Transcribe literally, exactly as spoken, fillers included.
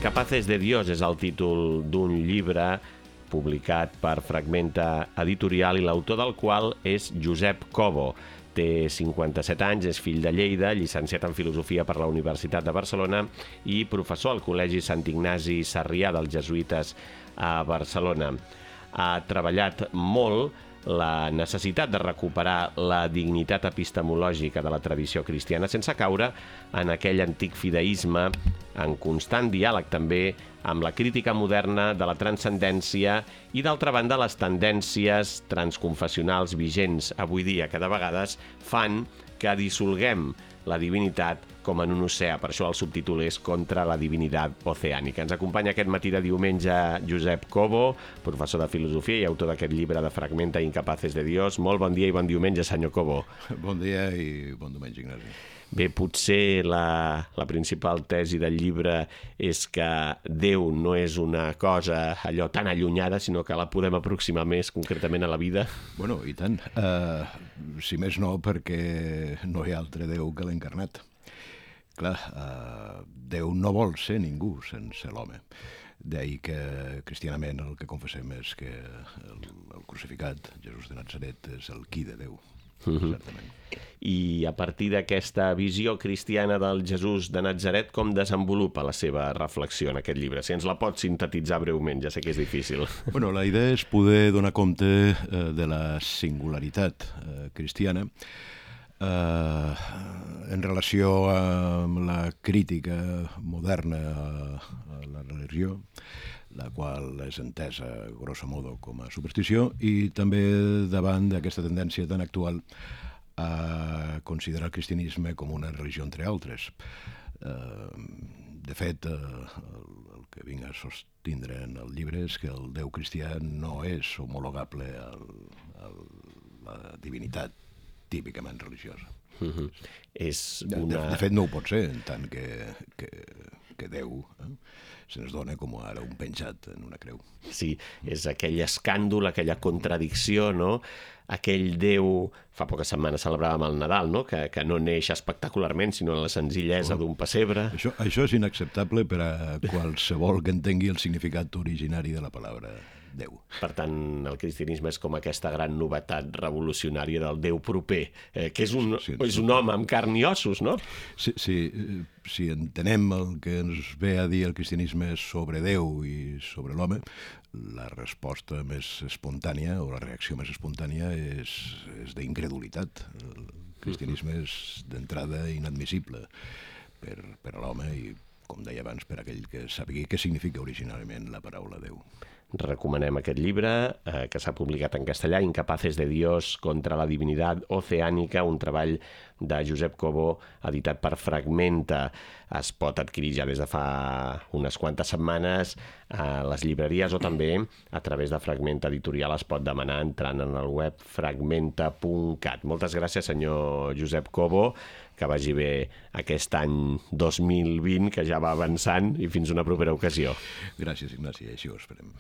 Incapaces de Dios és el títol d'un llibre publicat per Fragmenta Editorial i l'autor del qual és Josep Cobo. Té cinquanta-set anys, és fill de Lleida, llicenciat en Filosofia per la Universitat de Barcelona i professor al Col·legi Sant Ignasi Sarrià dels Jesuïtes a Barcelona. Ha treballat molt la necessitat de recuperar la dignitat epistemològica de la tradició cristiana sense caure en aquell antic fideisme, en constant diàleg també amb la crítica moderna de la transcendència i, d'altra banda, les tendències transconfessionals vigents avui dia, que de vegades fan que dissolguem la divinitat com en un oceà. Per això el subtítol és Contra la divinitat oceànica. Ens acompanya aquest matí de diumenge Josep Cobo, professor de filosofia i autor d'aquest llibre de Fragmenta Incapaces de Dios. Molt bon dia i bon diumenge, senyor Cobo. Bon dia i bon diumenge, Ignasi. Bé, potser la, la principal tesi del llibre és que Déu no és una cosa allò tan allunyada, sinó que la podem aproximar més concretament a la vida. Bueno, i tant. Uh, si més no, perquè no hi ha altre Déu que l'encarnat. Clar, uh, Déu no vol ser ningú sense l'home. D'ahir que cristianament el que confessem és que el, el crucificat, Jesús de Natzaret, és el qui de Déu. Uh-huh. Certament. I a partir d'aquesta visió cristiana del Jesús de Natzaret, com desenvolupa la seva reflexió en aquest llibre? Si ens la pot sintetitzar breument, ja sé que és difícil. Bueno, la idea és poder donar compte eh, de la singularitat eh, cristiana eh, en relació amb la crítica moderna a, a la religió, la qual és entesa, grosso modo, com a superstició, i també davant d'aquesta tendència tan actual a considerar el cristianisme com una religió entre altres. De fet, el que vinc a sostindre en el llibre és que el Déu cristià no és homologable a la divinitat típicament religiosa. Uh-huh. És una... de, de fet, no ho pot ser, en tant que, que, que Déu eh, se'ns dona com ara un penjat en una creu. Sí, és aquell escàndol, aquella contradicció, no? Aquell Déu, fa poques setmanes celebràvem el Nadal, no? Que, que no neix espectacularment, sinó en la senzillesa oh. d'un pessebre. Això, això és inacceptable per a qualsevol que entengui el significat originari de la paraula Déu. Per tant, el cristianisme és com aquesta gran novetat revolucionària del Déu proper, eh, que és un, sí, sí, és un home amb carn i ossos, no? Sí, sí, si entenem el que ens ve a dir el cristianisme sobre Déu i sobre l'home, la resposta més espontània, o la reacció més espontània, és, és d'incredulitat. El cristianisme és d'entrada inadmissible per, per a l'home i, com deia abans, per aquell que sàpiga què significa originalment la paraula Déu. Recomanem aquest llibre, eh, que s'ha publicat en castellà, Incapaces de Dios contra la divinitat oceànica, un treball de Josep Cobo, editat per Fragmenta. Es pot adquirir ja des de fa unes quantes setmanes a les llibreries o també a través de Fragmenta Editorial es pot demanar entrant en el web fragmenta punt cat. Moltes gràcies, senyor Josep Cobo, que vagi bé aquest any dos mil vint, que ja va avançant, i fins una propera ocasió. Gràcies, Ignasi, així ho esperem.